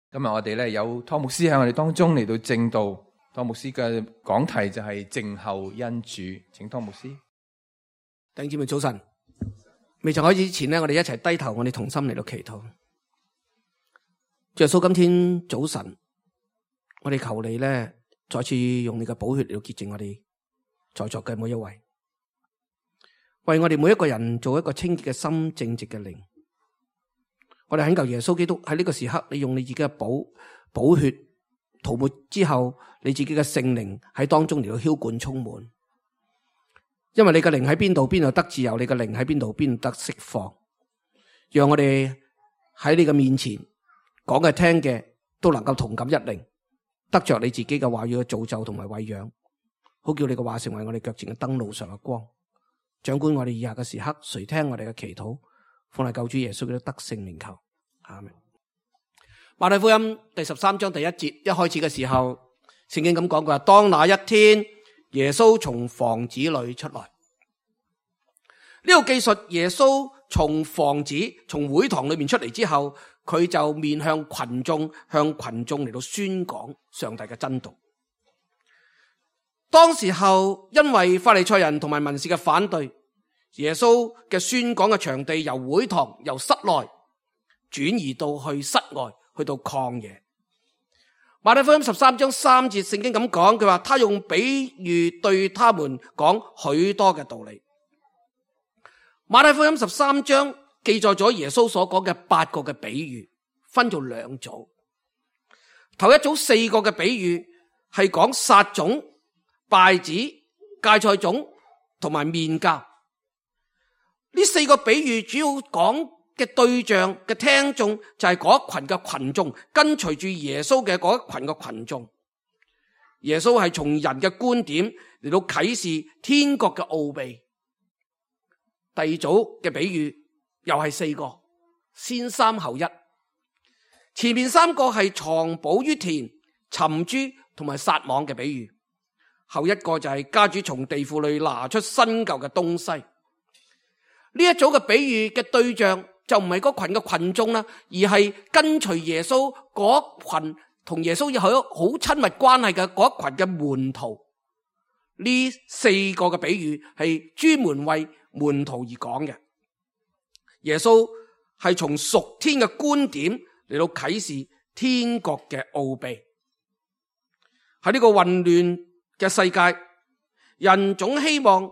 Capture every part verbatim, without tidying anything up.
今日我哋咧有湯牧師喺我哋當中嚟到證道，湯牧師嘅講題就係靜候恩主，請湯牧師。弟兄姊妹早晨，未曾開始之前呢，我哋一齊低頭，我哋同心嚟到祈禱。主耶穌，今天早晨，我哋求你咧，再次用你嘅寶血嚟到潔淨我哋在座嘅每一位，為我哋每一個人做一個清潔嘅心、正直嘅靈。我哋懇求耶穌基督喺呢個時刻，你用你自己嘅寶寶血塗抹之後，你自己嘅聖靈喺當中嚟到澆灌充滿。因為你嘅靈喺邊度，邊度得自由；你嘅靈喺邊度，邊度得釋放。讓我哋喺你嘅面前講嘅、聽嘅，都能夠同感一靈，得着你自己嘅話語嘅造就同埋餵養，好叫你嘅話成為我哋腳前嘅燈，路上嘅光。掌管我哋以下嘅時刻，垂聽我哋嘅祈禱。奉嚟救主耶穌基督得聖名求，阿們。馬太福音第十三章第一節一開始嘅時候，聖經咁講過：當那一天，耶穌從房子裏出來。呢個記述耶穌從房子、從會堂裏面出嚟之後，佢就面向群眾，向群眾嚟到宣講上帝嘅真道。當時候因為法利賽人同埋文士嘅反對，耶穌嘅宣講嘅場地由會堂由室內轉移到去室外，去到曠野。馬太福音十三章三節聖經咁講，佢話他用比喻對他們講許多嘅道理。馬太福音十三章記載咗耶穌所講嘅八個嘅比喻，分做兩組。頭一組四個嘅比喻係講撒種、稗子、芥菜種同埋麵酵。呢四個比喻主要講嘅對象嘅聽眾就係嗰一群嘅群眾，跟隨住耶穌嘅嗰一群嘅群眾。耶穌係從人嘅觀點嚟到啟示天國嘅奧秘。第二組嘅比喻又係四個，先三後一。前面三個係藏寶於田、尋珠同埋撒網嘅比喻，後一個就係家主從地庫裏拿出新舊嘅東西。呢一組嘅比喻嘅對象就唔係嗰群嘅群眾啦，而係跟隨耶穌嗰群同耶穌有好親密關係嘅嗰群嘅門徒。呢四個嘅比喻係專門為門徒而講嘅。耶穌係從屬天嘅觀點嚟到啟示天國嘅奧秘。喺呢個混亂嘅世界，人總希望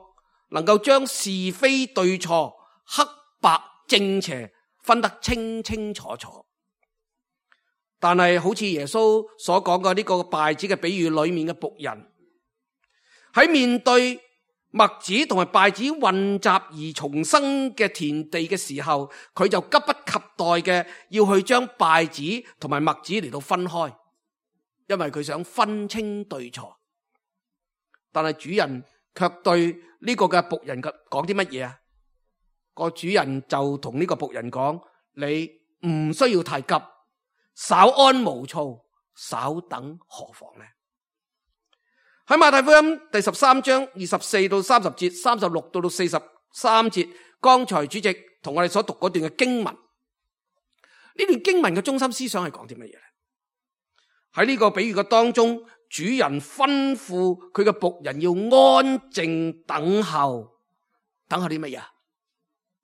能夠將是非對錯、黑白正邪分得清清楚楚，但係好似耶穌所講嘅呢個稗子嘅比喻裏面嘅僕人，喺面對麥子同埋稗子混雜而重生嘅田地嘅時候，佢就急不及待嘅要去將稗子同埋麥子嚟到分開，因為佢想分清對錯。但係主人卻對呢個嘅僕人講啲乜嘢啊？個主人就同呢個僕人講：你唔需要太急，稍安毋躁，稍等何妨呢？喺馬太福音第十三章二十四到三十節、三十六到到四十三節，剛才主席同我哋所讀嗰段嘅經文，呢段經文嘅中心思想係講啲乜嘢咧？喺呢個比喻嘅當中，主人吩咐佢嘅僕人要安靜等候，等候啲乜嘢？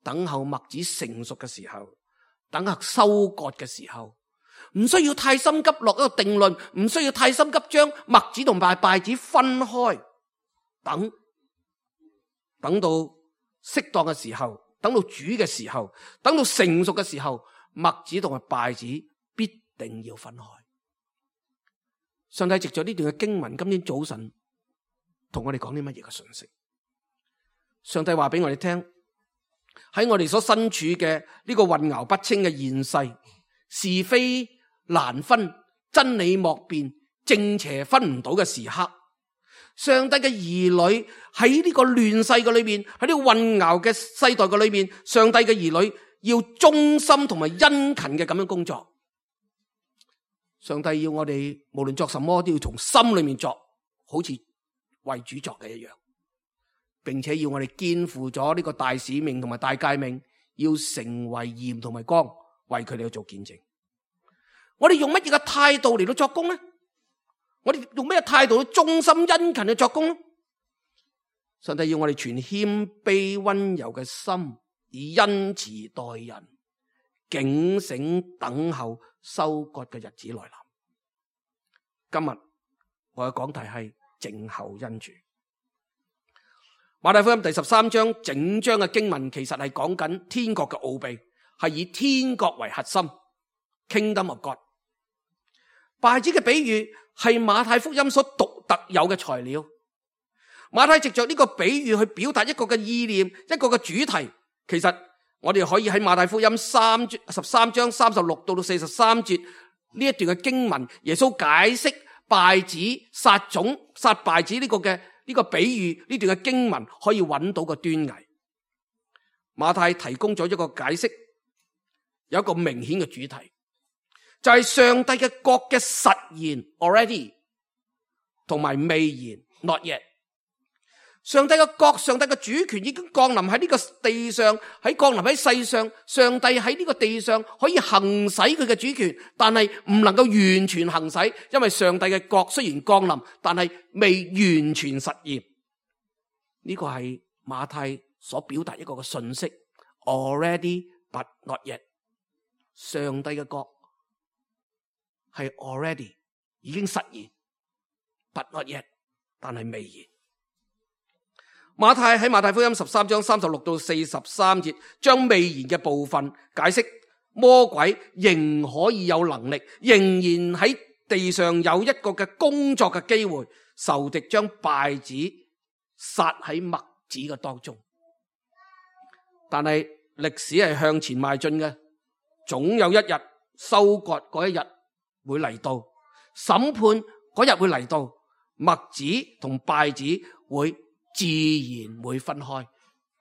等候麥子成熟嘅時候，等候收割嘅時候，唔需要太心急落一個定論，唔需要太心急將麥子同埋稗子分開，等等到適當嘅時候，等到煮嘅時候，等到成熟嘅時候，麥子同埋稗子必定要分開。上帝藉着呢段嘅經文，今天早晨同我哋講啲乜嘢嘅信息？上帝話俾我哋聽，喺我哋所身處嘅呢個混淆不清嘅現世，是非難分，真理莫辨，正邪分唔到嘅時刻，上帝嘅兒女喺呢個亂世嘅裏面，喺呢個混淆嘅世代嘅裏面，上帝嘅兒女要忠心同埋殷勤嘅咁樣工作。上帝要我哋無論作什麼都要從心裏面作，好似為主作嘅一樣，並且要我哋肩負咗呢個大使命同埋大誡命，要成為鹽同埋光，為佢哋去做見證。我哋用乜嘢嘅態度嚟到作工呢？我哋用咩態度去忠心殷勤去作工呢？上帝要我哋存謙卑溫柔嘅心，以恩慈待人，警醒等候收割嘅日子來臨。今日我嘅講題係靜候恩主。馬太福音第十三章整章嘅經文其實係講緊天國嘅奧秘，係以天國為核心 Kingdom of God。稗子嘅比喻係馬太福音所獨特有嘅材料。馬太藉着呢個比喻去表達一個嘅意念，一個嘅主題。其實我哋可以喺馬太福音三十三章三十六到到四十三節呢一段嘅經文，耶穌解釋稗子撒種撒稗子呢個嘅呢個比喻，呢段嘅經文可以揾到個端倪。馬太提供咗一個解釋，有一個明顯嘅主題，就係上帝嘅國嘅實現 already 同埋未然 not yet。上帝嘅國，上帝嘅主權已經降臨喺呢個地上，喺降臨喺世上。上帝喺呢個地上可以行使佢嘅主權，但係唔能夠完全行使，因為上帝嘅國雖然降臨，但係未完全實現。呢個係馬太所表達一個嘅信息 ，already but not yet。上帝嘅國係 already 已經實現 ，but not yet， 但係未然。馬太喺馬太福音十三章三十六到四十三節，將未然嘅部分解釋，魔鬼仍可以有能力，仍然喺地上有一個嘅工作嘅機會，仇敵將稗子撒喺麥子嘅當中。但係歷史係向前邁進嘅，總有一日收割嗰一日會嚟到，審判嗰日會嚟到，麥子同稗子會自然會分開，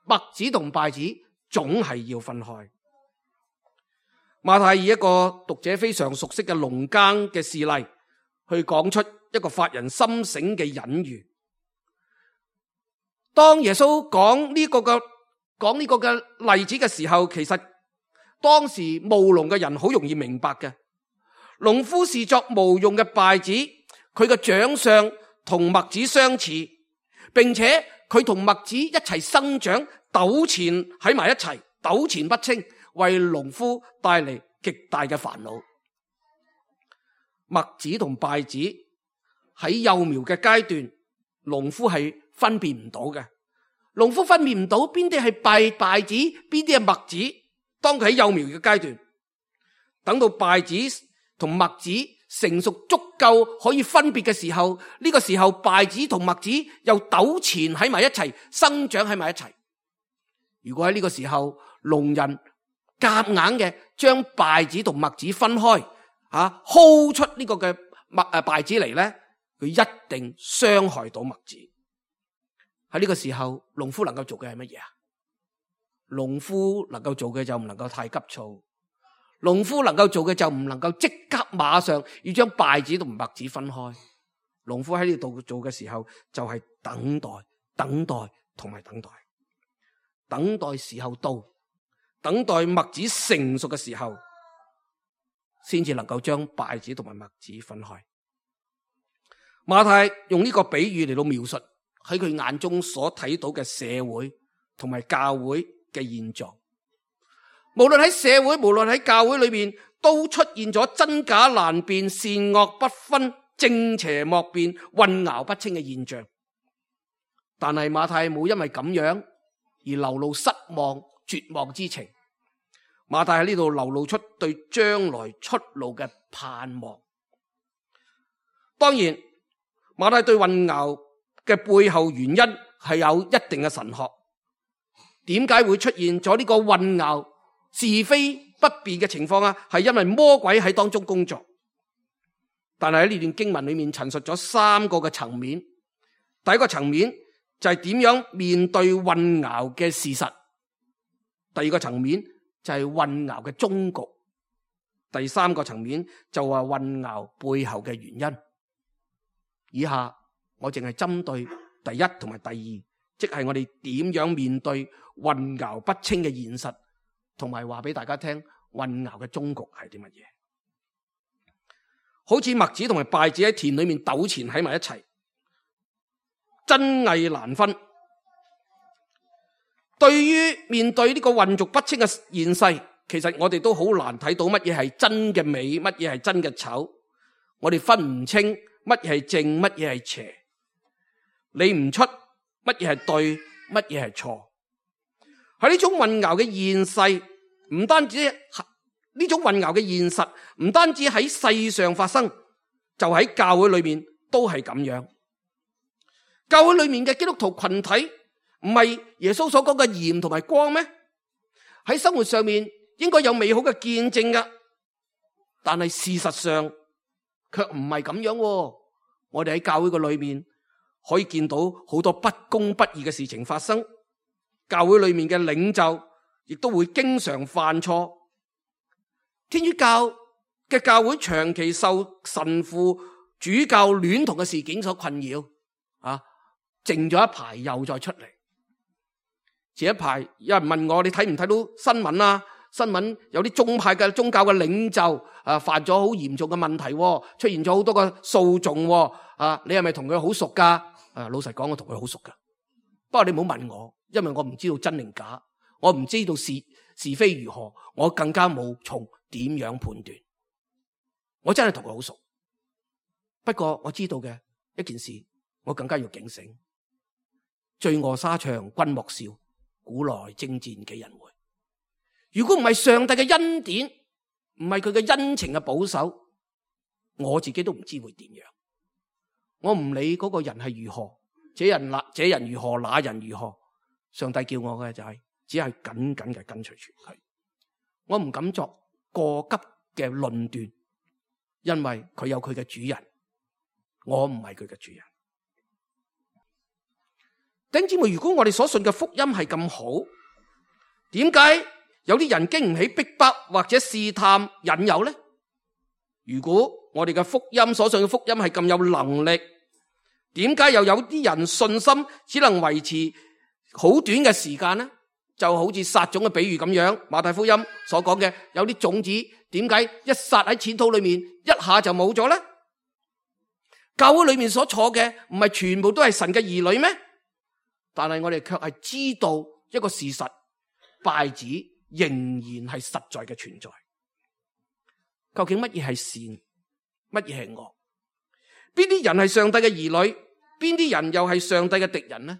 麥子同稗子總係要分開。馬太以一個讀者非常熟悉嘅農耕嘅事例，去講出一個發人心醒嘅隱喻。當耶穌講呢個嘅講呢個嘅例子嘅時候，其實當時務農嘅人好容易明白嘅。農夫是作無用嘅稗子，佢嘅長相同麥子相似，並且佢同麥子一齊生長，糾纏喺埋一齊，糾纏不清，為農夫帶嚟極大嘅煩惱。麥子同稗子喺幼苗嘅階段，農夫係分辨唔到嘅。農夫分辨唔到邊啲係稗稗子，邊啲係麥子。當佢喺幼苗嘅階段，等到稗子同麥子成熟足夠可以分別嘅時候，呢個時候稗子同麥子又糾纏喺埋一齊，生長喺埋一齊。如果喺呢個時候農人夾硬嘅將稗子同麥子分開，啊薅出呢個嘅麥誒稗子嚟咧，佢一定傷害到麥子。喺呢個時候，農夫能夠做嘅係乜嘢啊？農夫能夠做嘅就唔能夠太急躁。農夫能夠做嘅就唔能夠即刻馬上要將稗子同麥子分開。農夫喺呢度做嘅時候就係等待、等待同埋等待，等待時候到，等待麥子成熟嘅時候，先至能夠將稗子同埋麥子分開。馬太用呢個比喻嚟到描述喺佢眼中所睇到嘅社會同埋教會嘅現狀。無論喺社會，無論喺教會裏面，都出現咗真假難辨、善惡不分、正邪莫辨、混淆不清嘅現象。但係馬太冇因為咁樣而流露失望、絕望之情。馬太喺呢度流露出對將來出路嘅盼望。當然，馬太對混淆嘅背後原因係有一定嘅神學。點解會出現咗呢個混淆是非不辨嘅情況啊？係因為魔鬼喺當中工作。但係喺呢段經文裏面陳述咗三個嘅層面。第一個層面就係點樣面對混淆嘅事實。第二個層面就係混淆嘅終局。第三個層面就係混淆背後嘅原因。以下我淨係針對第一同埋第二，即係我哋點樣面對混淆不清嘅現實，同埋話俾大家聽混淆嘅終局係啲乜嘢。好似麥子同埋稗子喺田裏面糾纏喺埋一齊，真偽難分。對於面對呢個混濁不清嘅現世，其實我哋都好難睇到乜嘢係真嘅美，乜嘢係真嘅醜。我哋分唔清乜嘢係正，乜嘢係邪，理唔出乜嘢係對，乜嘢係錯。喺呢種混淆嘅現世，唔單止呢種混淆嘅現實，唔單止喺世上發生，就喺教會裏面都係咁樣。教會裏面嘅基督徒群體唔係耶穌所講嘅鹽同埋光咩？喺生活上面應該有美好嘅見證噶，但係事實上卻唔係咁樣。我哋喺教會嘅裏面可以見到好多不公不義嘅事情發生，教會裏面嘅領袖亦都會經常犯錯。天主教嘅教會長期受神父主教戀童嘅事件所困擾，啊，靜咗一排又再出嚟。前一排有人問我，你睇唔睇到新聞啊？新聞有啲宗派嘅宗教嘅領袖啊，犯咗好嚴重嘅問題，出現咗好多個訴訟。啊，你係咪同佢好熟噶？啊，老實講，我同佢好熟噶。不過你唔好問我，因為我唔知道真定假，我唔知道是是非如何，我更加冇從點樣判斷。我真係同佢好熟，不過我知道嘅一件事，我更加要警醒。罪惡沙場君莫笑，古來征戰幾人回。如果唔係上帝嘅恩典，唔係佢嘅恩情嘅保守，我自己都唔知會點樣。我唔理嗰個人係如何，這人那這人如何，那人如何，上帝叫我嘅就係、是、只係緊緊嘅跟隨住佢。我唔敢作過急嘅論斷，因為佢有佢嘅主人，我唔係佢嘅主人。弟兄姊妹，如果我哋所信嘅福音係咁好，點解有啲人經唔起逼迫或者試探引誘呢？如果我哋嘅福音所信嘅福音係咁有能力，點解又有啲人信心只能維持好短嘅時間呢？就好似撒種嘅比喻咁樣，馬太福音所講嘅，有啲種子點解一撒喺淺土裏面一下就冇咗呢？教會裏面所坐嘅唔係全部都係神嘅兒女咩？但係我哋卻係知道一個事實，稗子仍然係實在嘅存在。究竟乜嘢係善，乜嘢係惡？邊啲人係上帝嘅兒女，邊啲人又係上帝嘅敵人呢？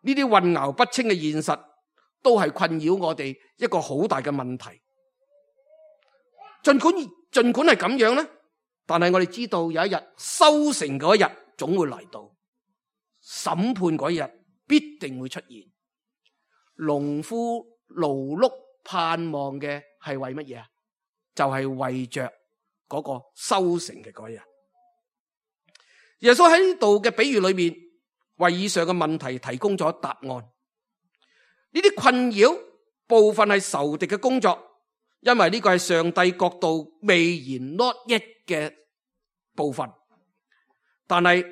呢啲混淆不清嘅現實都係困擾我哋一個好大嘅問題。盡管盡管係咁樣呢，但係我哋知道有一日收成嗰一日總會嚟到，審判嗰一日必定會出現。農夫勞碌盼望嘅係為乜嘢啊？就係、是、為着嗰個收成嘅嗰一日。耶穌喺呢度嘅比喻裏面，為以上嘅問題提供咗答案。呢啲困擾部分係仇敵嘅工作，因為呢個係上帝國度未然 not yet 嘅部分。但係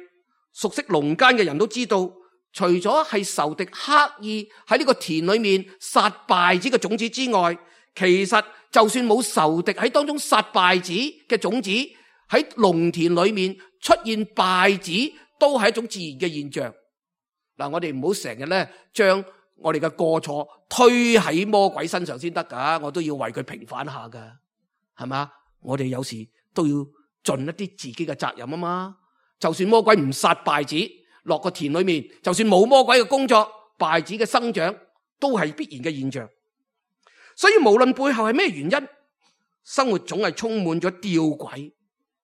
熟悉農間嘅人都知道，除咗係仇敵刻意喺呢個田裏面撒稗子嘅種子之外，其實就算冇仇敵喺當中撒稗子嘅種子，喺農田裏面出現稗子都係一種自然嘅現象。嗱，我哋唔好成日咧將我哋嘅過錯推喺魔鬼身上先得噶，我都要為佢平反下噶，係嘛？我哋有時都要盡一啲自己嘅責任啊嘛。就算魔鬼唔撒稗子落個田裏面，就算冇魔鬼嘅工作，稗子嘅生長都係必然嘅現象。所以無論背後係咩原因，生活總係充滿咗吊詭、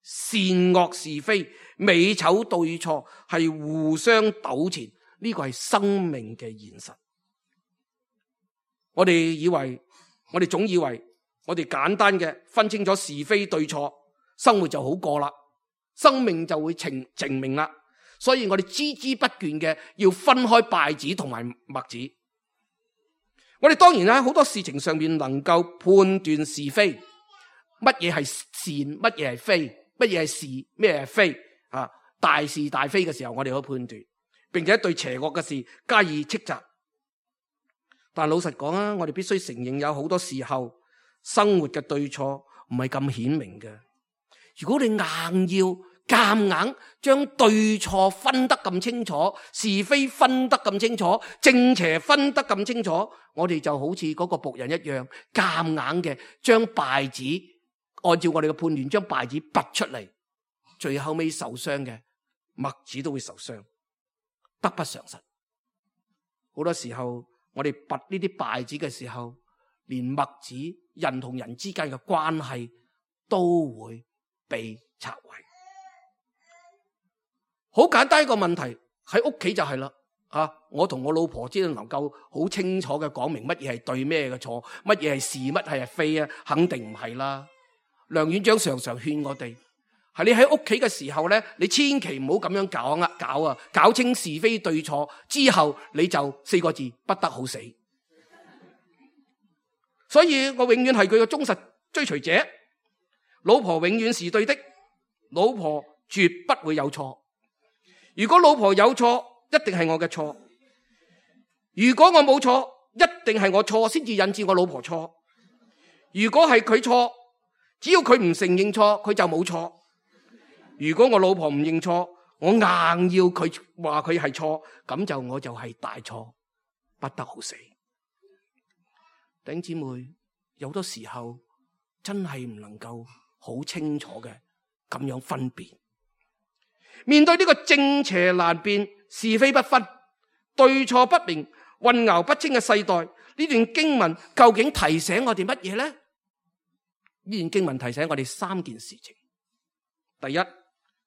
善惡是非、美醜對錯，係互相糾纏。呢個係生命嘅現實。我哋以為，我哋總以為，我哋簡單嘅分清咗是非對錯，生活就好過啦，生命就會澄澄明啦。所以我哋孜孜不倦嘅要分開稗子同埋麥子。我哋當然喺好多事情上面能夠判斷是非，乜嘢係善，乜嘢係非，乜嘢係是，咩係非啊？大是大非嘅時候，我哋可以判斷，並且對邪惡嘅事加以斥責。但老實講啊，我哋必須承認有好多時候生活嘅對錯唔係咁顯明嘅。如果你硬要夾硬將對錯分得咁清楚，是非分得咁清楚，正邪分得咁清楚，我哋就好似嗰個僕人一樣，夾硬嘅將稗子按照我哋嘅判斷將稗子拔出嚟，最後尾受傷嘅麥子都會受傷，得不償失。好多時候我哋拔呢啲稗子嘅時候，連麥子人同人之間嘅關係都會被拆毀。好簡單一個問題，喺屋企就係啦，啊，我同我老婆只能夠好清楚嘅講明乜嘢係對，咩嘅錯，乜嘢係是，乜係係非啊，肯定唔係啦。梁院長常常勸我哋，係你喺屋企嘅時候咧，你千祈唔好咁樣搞啊搞啊，搞清是非對錯之後，你就四個字，不得好死。所以我永遠係佢嘅忠實追隨者。老婆永遠是對的，老婆絕不會有錯。如果老婆有錯，一定係我嘅錯；如果我冇錯，一定係我錯先至引致我老婆錯。如果係佢錯，只要佢唔承認錯，佢就冇錯。如果我老婆唔認錯，我硬要佢話佢係錯，咁就我就係大錯，不得好死。弟兄姊妹，有好多時候真係唔能夠好清楚嘅咁樣分辨。面對呢個正邪難辨、是非不分、對錯不明、混淆不清嘅世代，呢段經文究竟提醒我哋乜嘢呢？呢段經文提醒我哋三件事情。第一，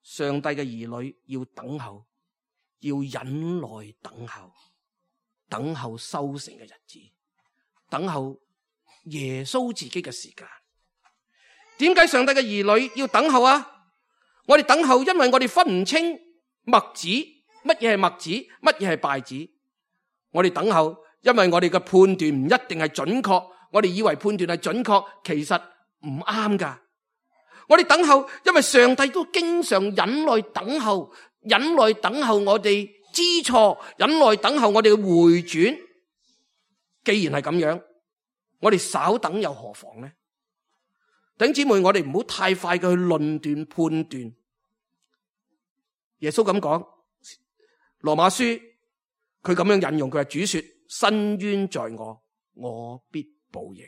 上帝嘅兒女要等候，要忍耐等候，等候收成嘅日子，等候耶穌自己嘅時間。點解上帝嘅兒女要等候啊？我哋等候，因為我哋分唔清麥子，乜嘢係麥子，乜嘢係稗子。我哋等候，因為我哋嘅判斷唔一定係準確，我哋以為判斷係準確，其實唔啱噶。我哋等候，因為上帝都經常忍耐等候，忍耐等候我哋知錯，忍耐等候我哋嘅回轉。既然係咁樣，我哋稍等又何妨呢？弟兄姊妹，我哋唔好太快嘅去論斷判斷。耶穌咁講，羅馬書佢咁樣引用，佢話主說：伸冤在我，我必報應。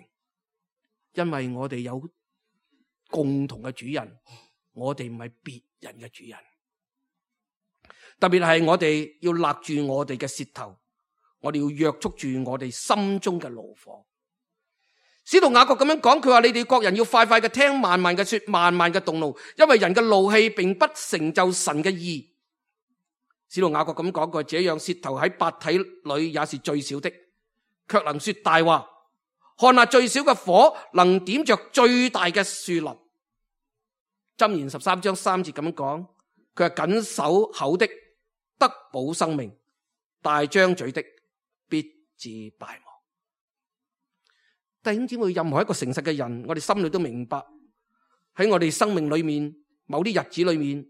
因為我哋有共同嘅主人，我哋唔係別人嘅主人。特別係我哋要勒住我哋嘅舌頭，我哋要約束住我哋心中嘅怒火。使徒雅各咁樣講，佢話你哋各人要快快嘅聽，慢慢嘅說，慢慢嘅動怒，因為人嘅怒氣並不成就神嘅義。使徒雅各咁講過，這樣舌頭喺百體裏也是最小的，卻能說大話。看下最小嘅火能點着最大嘅樹林。箴言十三章三節咁樣講，佢係緊守口的得保生命，大張嘴的必致敗亡。弟兄姊妹，任何一個誠實嘅人，我哋心裏都明白，喺我哋生命裏面某啲日子裏面，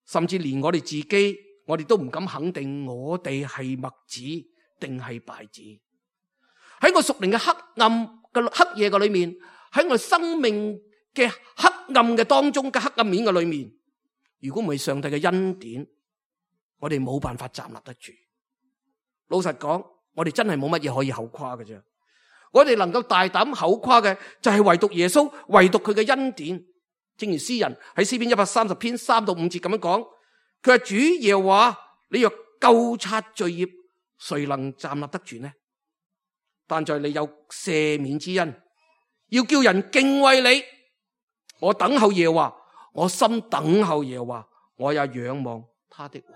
甚至連我哋自己，我哋都唔敢肯定我哋係麥子定係稗子。喺我屬靈嘅黑暗嘅黑夜嘅裏面，喺我生命嘅黑暗嘅當中嘅黑暗面嘅裏面，如果唔係上帝嘅恩典，我哋冇辦法站立得住。老實講，我哋真係冇乜嘢可以口誇嘅啫。我哋能夠大膽口誇嘅就係唯獨耶穌，唯獨佢嘅恩典。正如詩人喺詩篇一百三十篇三到五節咁樣講，佢話主耶和華，你若究察罪孽，誰能站立得住呢？但在你有赦免之恩，要叫人敬畏你。我等候耶和華，我心等候耶和華，我也仰望他的話。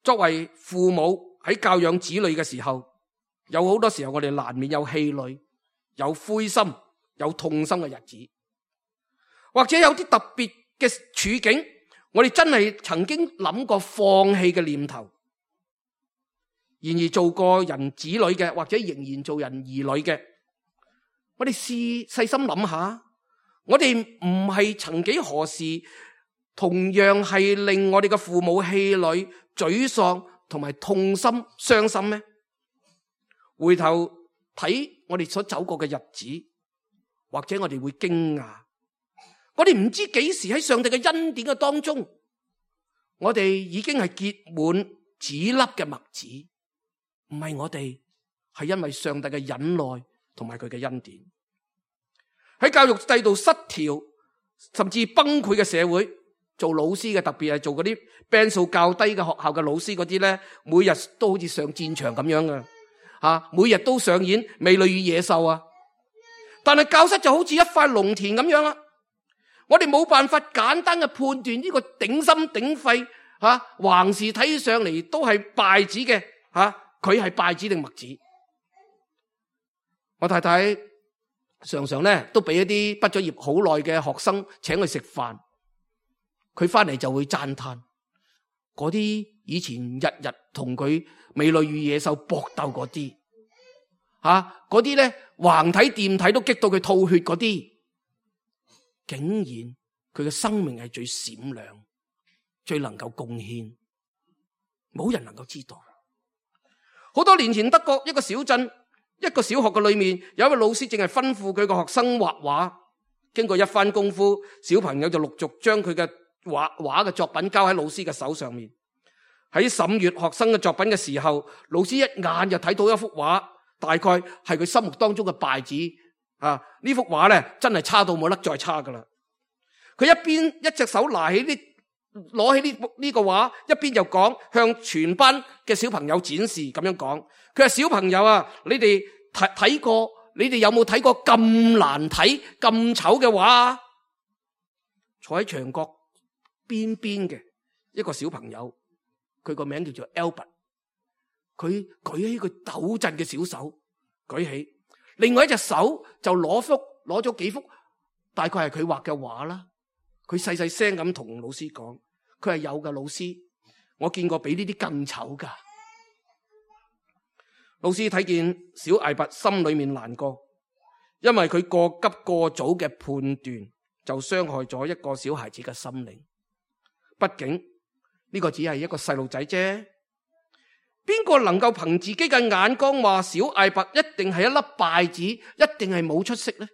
作為父母喺教養子女嘅時候，有好多時候我哋難免有氣餒、有灰心、有痛心嘅日子，或者有啲特別嘅處境，我哋真係曾經諗過放棄嘅念頭。然而做過人子女嘅，或者仍然做人兒女嘅，我哋試細心諗下，我哋唔係曾幾何時同樣係令我哋嘅父母氣餒、沮喪同埋痛心、傷心咩？回頭睇我哋所走過嘅日子，或者我哋會驚訝，我哋唔知幾時喺上帝嘅恩典嘅當中，我哋已經係結滿籽粒嘅麥子，唔係我哋，係因為上帝嘅忍耐同埋佢嘅恩典。喺教育制度失調甚至崩潰嘅社會，做老師嘅，特別係做嗰啲班數較低嘅學校嘅老師嗰啲咧，每日都好似上戰場咁樣嘅，吓，每日都上演美女與野獸啊！但係教室就好似一塊農田咁樣啦，我哋冇辦法簡單嘅判斷呢個頂心頂肺吓，橫視睇上嚟都係稗子嘅吓，佢係稗子定麥子？我太太常常咧都俾一啲畢咗業好耐嘅學生請佢食飯，佢翻嚟就會讚嘆嗰啲以前日日同佢美女與野獸搏鬥嗰啲，吓嗰啲咧橫睇掂睇都激到佢吐血嗰啲，竟然佢嘅生命係最閃亮、最能夠貢獻，冇人能夠知道。好多年前德國一個小鎮，一個小學嘅裏面有一位老師正係吩咐佢個學生畫畫，經過一番功夫，小朋友就陸續將佢嘅畫畫嘅作品交喺老師嘅手上面。喺審閱學生嘅作品嘅時候，老師一眼就睇到一幅畫，大概係佢心目當中嘅稗子啊！呢幅畫咧真係差到冇得再差噶啦。佢一邊一隻手拿起呢攞起呢呢個畫，一邊就講，向全班嘅小朋友展示咁樣講。佢話：小朋友啊，你哋睇睇過，你哋有冇睇過咁難睇、咁醜嘅畫啊？坐喺牆角邊邊嘅一個小朋友，佢個名叫做 Albert， 佢舉起佢抖震嘅小手，舉起，另外一隻手就攞幅攞咗幾幅，大概係佢畫嘅畫啦。佢細細聲咁同老師講，佢係有㗎，老師，我見過比呢啲更醜噶。老師睇見小艾伯心裏面難過，因為佢過急過早嘅判斷就傷害咗一個小孩子嘅心靈。畢竟呢個只係一個細路仔啫，邊個能夠憑自己嘅眼光話小艾伯一定係一粒稗子，一定係冇出息呢？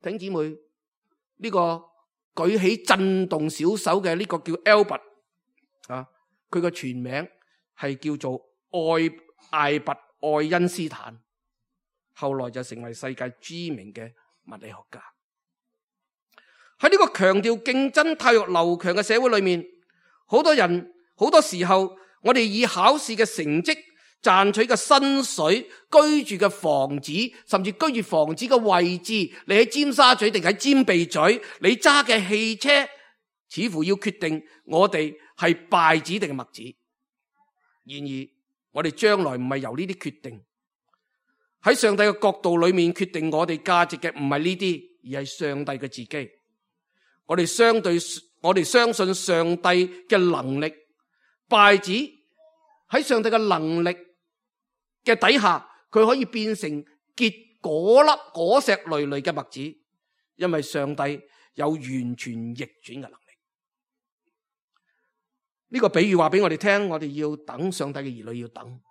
弟兄姊妹，呢個舉起震動小手嘅呢個叫 Albert 啊，佢個全名係叫做愛艾伯愛因斯坦，後來就成為世界知名嘅物理學家。喺呢個強調競爭、態度流強嘅社會裏面，好多人好多時候，我哋以考試嘅成績、賺取嘅薪水、居住嘅房子，甚至居住房子嘅位置，你喺尖沙咀定喺尖鼻咀，你揸嘅汽車，似乎要決定我哋係稗子定係麥子。然而，我哋將來唔係由呢啲決定，喺上帝嘅角度裏面決定我哋價值嘅唔係呢啲，而係上帝嘅自己。我哋相對，我哋相信上帝嘅能力，稗子喺上帝嘅能力嘅底下，佢可以變成結果粒果石累累嘅麥子，因為上帝有完全逆轉嘅能力。呢個比喻話俾我哋聽，我哋要等上帝嘅兒女，要等。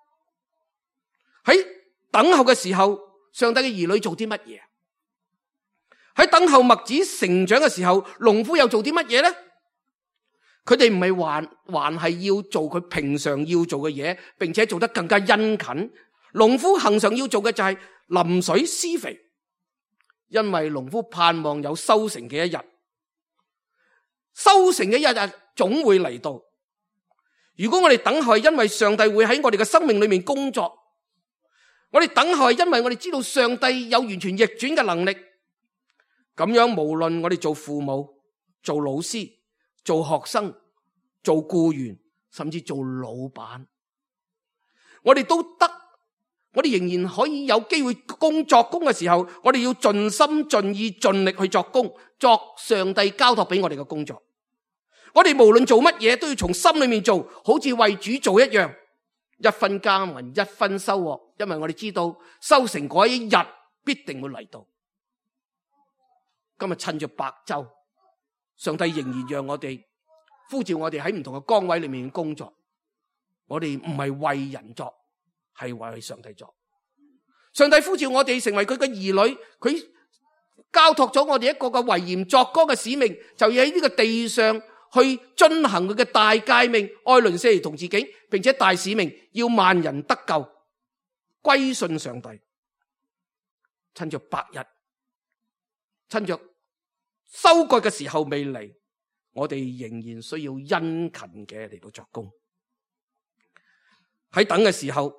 喺等候嘅時候，上帝嘅兒女做啲乜嘢？喺等候麥子成長嘅時候，農夫又做啲乜嘢呢？佢哋唔係還還係要做佢平常要做嘅嘢，並且做得更加殷勤。農夫恆常要做嘅就係淋水施肥，因為農夫盼望有收成嘅一日，收成嘅一日總會嚟到。如果我哋等候係因為上帝會喺我哋嘅生命裏面工作，我哋等候係因為我哋知道上帝有完全逆轉嘅能力，咁樣無論我哋做父母、做老師、做學生、做僱員，甚至做老闆，我哋都得，我哋仍然可以有機會工作工嘅時候，我哋要盡心盡意盡力去作工，作上帝交託俾我哋嘅工作。我哋無論做乜嘢都要從心裏面做，好似為主做一樣，一分耕耘一分收穫，因為我哋知道收成嗰一日必定會嚟到。今日趁着白晝，上帝仍然讓我哋呼召我哋喺唔同嘅崗位裏面工作。我哋唔係為人作，係為上帝作。上帝呼召我哋成為佢嘅兒女，佢交託咗我哋一個嘅為鹽作光嘅使命，就要喺呢個地上去遵行佢嘅大誡命，愛鄰舍如同自己，並且大使命要萬人得救，歸信上帝。趁着白日，趁着收割嘅時候未嚟，我哋仍然需要殷勤嘅嚟到作工。喺等嘅時候，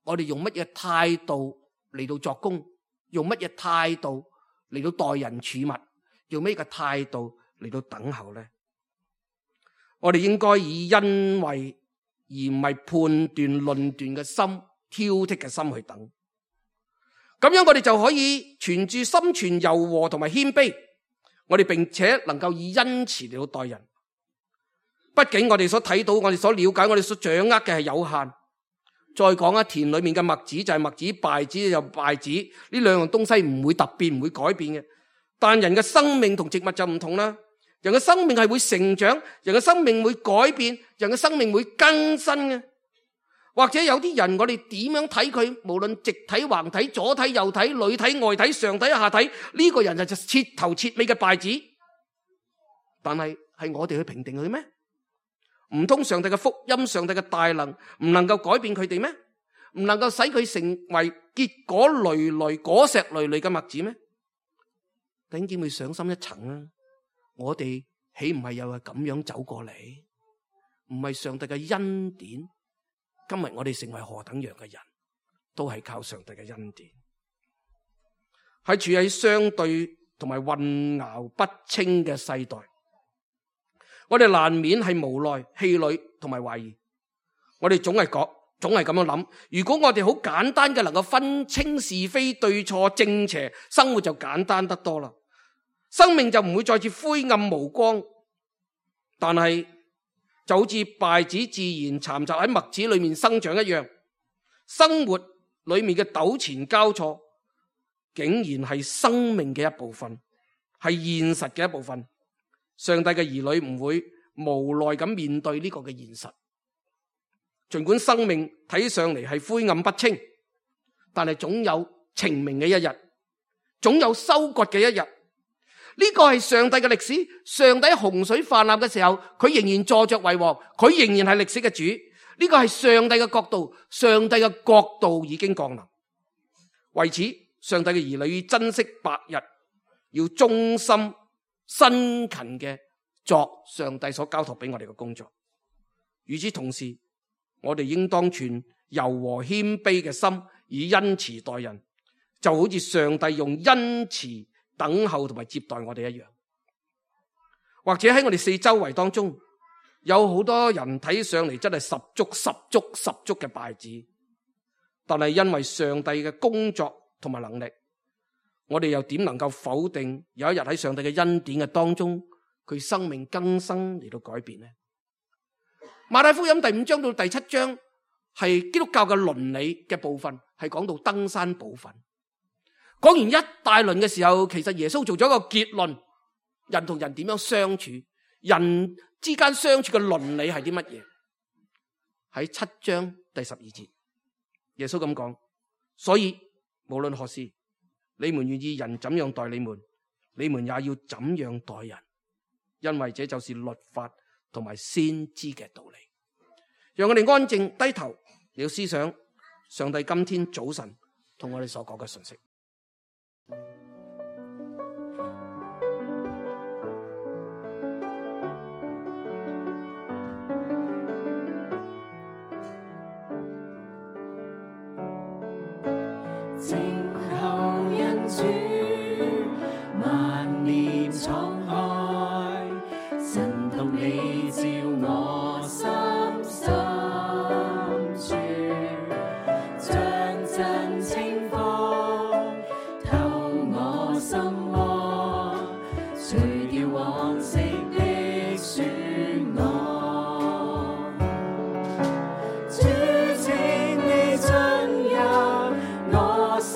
我哋用乜嘢態度嚟到作工？用乜嘢態度嚟到待人處物？用咩嘅態度嚟到等候呢？我哋應該以恩惠而唔係判斷論斷嘅心、挑剔嘅心去等。咁樣我哋就可以存住心存柔和同埋謙卑，我哋並且能夠以恩慈嚟到待人。畢竟我哋所睇到、我哋所了解、我哋所掌握嘅係有限。再講一田裏面嘅麥子就係麥子，稗子就稗子，呢兩樣東西唔會突變，唔會改變嘅。但人嘅生命同植物就唔同啦。人嘅生命係會成長，人嘅生命會改變，人嘅生命會更新嘅。或者有啲人我哋點樣睇佢，無論直睇、橫睇、左睇、右睇、裏睇、外睇、上睇、下睇，呢個人就就徹頭徹尾嘅稗子。但係係我哋去評定佢咩？唔通上帝嘅福音、上帝嘅大能唔能夠改變佢哋咩？唔能夠使佢成為結果累累、果實累累嘅麥子咩？弟兄姊妹上深一層啊！我哋豈唔係又係咁樣走過嚟？唔係上帝嘅恩典，今日我哋成為何等樣嘅人，都係靠上帝嘅恩典。喺處喺相對同埋混淆不清嘅世代，我哋難免係無奈、氣餒同埋懷疑。我哋總係講，總係咁樣諗。如果我哋好簡單嘅能夠分清是非對錯正邪，生活就簡單得多啦，生命就唔會再次灰暗無光。但係就好似稗子自然蠶雜喺麥子裏面生長一樣，生活裏面嘅糾纏交錯，竟然係生命嘅一部分，係現實嘅一部分。上帝嘅兒女唔會無奈咁面對呢個嘅現實，盡管生命睇上嚟係灰暗不清，但係總有晴明嘅一日，總有收割嘅一日。呢個係上帝嘅歷史。上帝喺洪水泛濫嘅時候，佢仍然坐着為王，佢仍然係歷史嘅主。呢個係上帝嘅國度，上帝嘅國度已經降臨。為此，上帝嘅兒女要珍惜白日，要忠心辛勤嘅作上帝所交託俾我哋嘅工作。與此同時，我哋應當存柔和謙卑嘅心，以恩慈待人，就好似上帝用恩慈等候同埋接待我哋一樣。或者喺我哋四周圍當中，有好多人睇上嚟真係十足十足十足嘅稗子，但係因為上帝嘅工作同埋能力，我哋又點能夠否定有一日喺上帝嘅恩典嘅當中，佢生命更新嚟到改變呢？馬太福音第五章到第七章係基督教嘅倫理嘅部分，係講到登山寶訓。講完一大輪嘅時候，其實耶穌做咗一個結論：人同人點樣相處，人之間相處嘅倫理係啲乜嘢？喺七章第十二節，耶穌咁講：所以無論何事，你們願意人怎樣待你們，你們也要怎樣待人，因為這就是律法同埋先知嘅道理。讓我哋安靜低頭，要思想上帝今天早晨同我哋所講嘅信息。靜候恩主，萬年敞開，神同你照我心深處，將真清風透我心窩，除掉往昔的損我。主，請你進入我心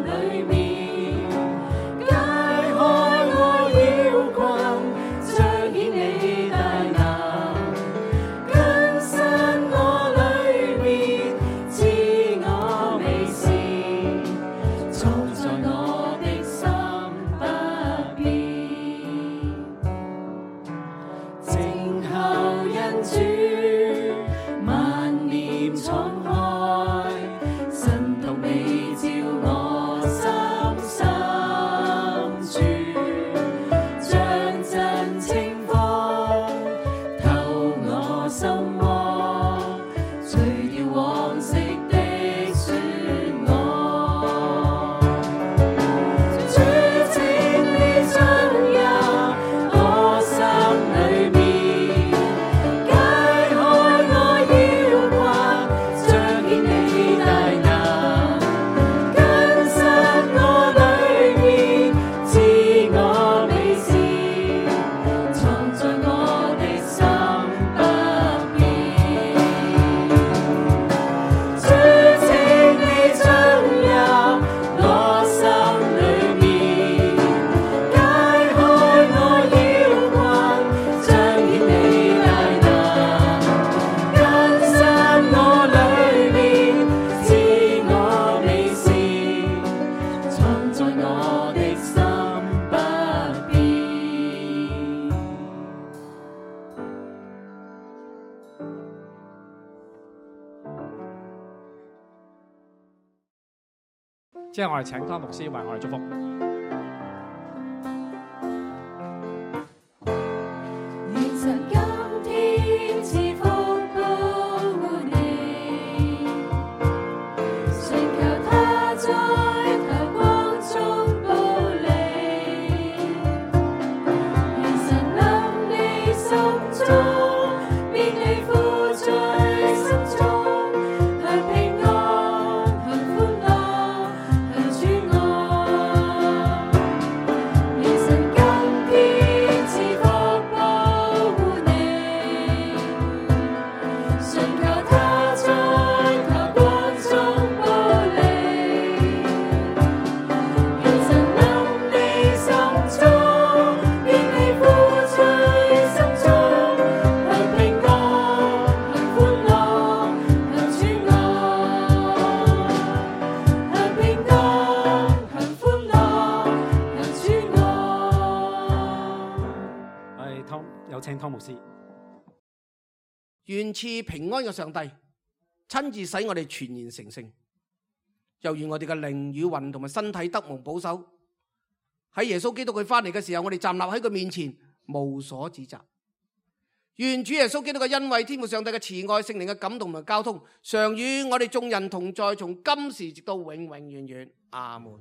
裏面，解開我要之後我哋請湯牧師為我哋祝福。願神今天賜福保護你，信求他在頭光中保你。願神臨你心中，免你負在心中，享平安，享歡樂，享主愛。願神今天賜福保護你，信求他在頭光中保你。願神臨你心中，免你負在心中，享平安，享歡樂，享主愛。享平安，享歡樂，享主愛。我哋湯有請湯牧師。願賜平安嘅上帝親自使我哋全然成聖，又願我哋嘅靈與魂同埋身體得蒙保守。喺耶穌基督佢翻嚟嘅時候，我哋站立喺佢面前，無所指責。願主耶穌基督嘅恩惠、天父上帝嘅慈愛、聖靈嘅感動同埋交通，常與我哋眾人同在，從今時直到永永遠遠。阿門。